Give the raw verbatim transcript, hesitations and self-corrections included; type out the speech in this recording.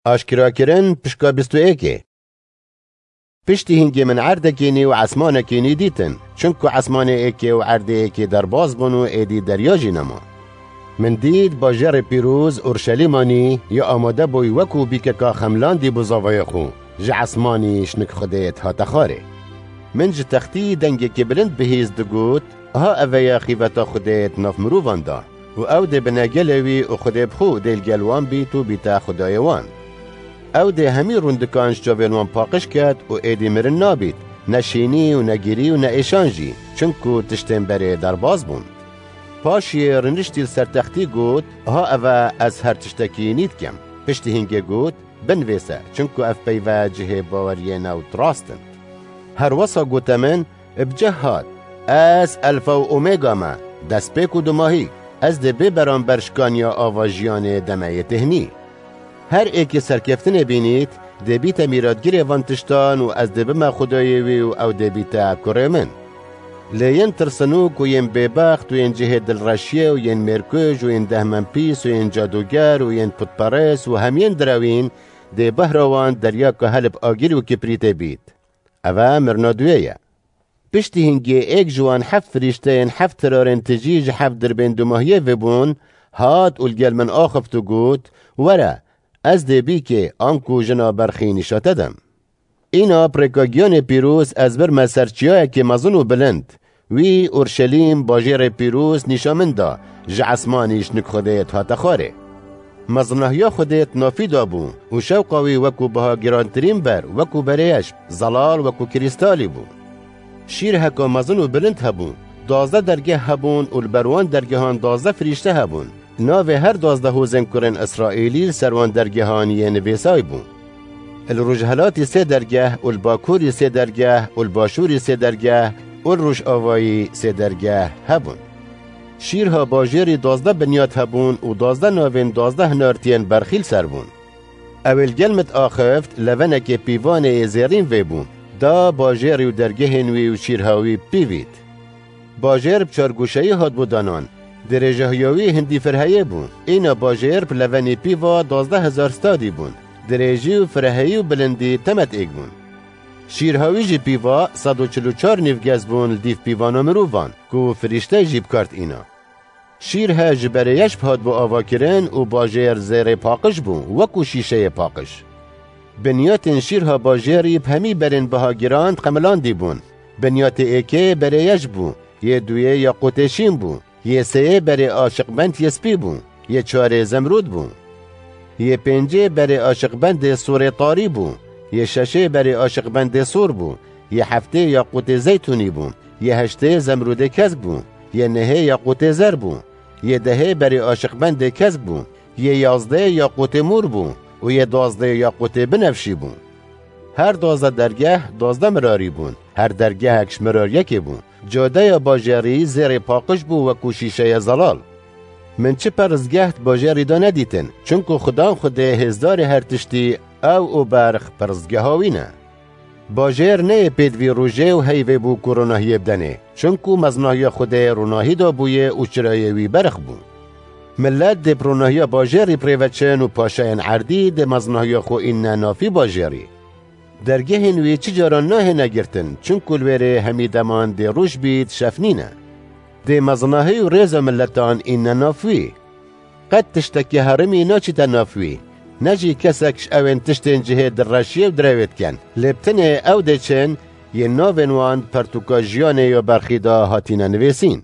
Aşkerakirin pişka bîst û êkê. Piştî hingê min erdekê nî û esmanekê nî dîtin, çunku esmanê êkê û erdê êkê derbas bûn û êdî derya jî nema. Min dît bajêrê pîroz Urşelîma nî ya amade bûy wekû bîkeka xemlandî bo zavayê xwe, ji esmanî şinik Xwedê dihate xwarê. Min ji textî dengekê bilind bihîst digot, Aha eve ye xîveta Xwedê di nav mirovan de û ew dê bine gelê wî û Xwedê bi xwe dê li gel wan bît û bîte Xwedayê wan. Ew dê hemî rûndikan ji çavên wan paqij ket û êdî mirin nabît, ne şînî û ne girî û ne êşan jî, çunku tiştên berê derbas bûn. Paşiyê riniştî li ser textî got, Aha eve ez her tiştekî nî dikim. Piştî hingê got, Binivêse, çunku ev peyve cihê baweriyê ne û di rast in. Her wesa gote min, Bi cih hat, Ez Elfa û Omega me, destpêk û dumahî, ez dê bê beramber şikaniya ava jiyanê demeyê têhnî. Her êkê serkeftinê bînît, dê bîte mîratgirê van tiştan û ez dê bime Xwedayê wî û ew dê bîte kurê min. Lê yên tirsinok û yên bêbext û yên cihê dilreşiyê û yên mêrkuj û yên dehmenpîs û yên cadûger û yên putperest û hemiyên direwîn dê behra wan deryaka helib agirî û kiprîtê bît. Eve mirina duyê ye. Piştî hingê êk ji wan heft firîşteyên heft tirarên tijî ji heft dirbên dumahiyê vebûn, hat û li gel min axift û got, Were, ez dê bîkê anku jina berxî nîşa te dem. Îna bi rêka giyanê pîroz ez birme ser çiyayekê mezin û bilind. Wî Urşelîm, bajêrê pîroz nîşa min da, ji esmanî şinik Xwedê dihate xwarê. Mezinahiya Xwedê di navî de bû û şewqa wî wekû biha girantirîn ber, wekû berêyeşb, zelal wekû krîstalî bû. Şîrheka mezin û bilind hebû. Duwazdeh dergeh hebûn û li ber wan dergehan duwazdeh firîşte hebûn. Navê her duwazdeh hozên kurên Îsraîlî li ser wan dergehan yê nivîsay bû. Li rojhelatî sê dergeh û li bakurî sê dergeh û li başûrî sê dergeh û li rojavayî sê dergeh hebûn. Şîrha bajêrî duwazdeh binyat hebûn û duwazdeh navên duwazdeh hinartiyên berxî li ser bûn. Ew ê li gel min axift, levenekê pîvanê yê zêrîn vê bû, da bajêrî û dergehên wî û şîrha wî pîvît. Bajêr bi çar goşeyî hat bo danan. Dirêjahiya wî hindî firheyê bû. Îna bajêr bi levenî pîva duwazdeh hezar stadî bûn. Dirêjî û fireheyî û bilindî temet êk bûn. Şîrha wî jî pîva sed û çil û çar nîvgez bûn li dîv pîvana mirovan, ku firîşte jî bi kar tîna. Şîrhe ji berê yeşb hat bo avakirin û bajêr zêrê paqij bû, wekû şîşeyê paqij. Binyatên şîrha bajêrî bi hemî berên biha giran xemilandî bûn. Binyatê êkê berê yeşb bû, yê duyê yaqûtê şîn bû, yê sêyê berê aşiqbend yê spî bû, yê çarê zemrûd bû. Yê pêncê berê aşiqbendê sorê tarî bû, yê şeşê berê aşiqbendê sor bû, yê heftê yaqûtê zeytûnî bû, yê heştê zemrûdê kesk bû, yê nehê yaqûtê zer bû, yê dehê berê aşiqbendê kesk bû, yê yazdê yaqûtê mor bû û yê duwazdê yaqûtê binevşî bû. Her duwazdeh dergeh duwazdeh mirarî bûn, her dergehek ji mirar yekê bû. Cadeya bajêrî zêrê paqij bû wekû şîşeya zelal. Min çi perzgeh di bajêrî de nedîtin, çunku Xudan Xwedê hêzdarê her tiştî, ew û berx perzgeha wî ne. Bajêr neyê pêdivî rojê û heyvê bû ku ronahiyê bidenê, çunku mezinahiya Xwedê ronahî da bûye û çirayê wî berx bû. Milet dê bi ronahiya bajêrî bi rê ve çin û paşayên erdî dê mezinahiya xwe îne navî bajêrî. Dergehên wî çi caran nahêne girtin, çunku li wêrê hemî deman dê roj bît, şev nîne. Dê mezinahî û rêza miletan îne nav wî. Qet tiştekî herimî naçîte nav wî. Ne jî kesek ji ewên tiştên cihê direşiyê û direwê dikin. Lê bi tenê ew dê çin, yên navên wan di pertûka jiyanê ya berxî de hatîne nivîsîn.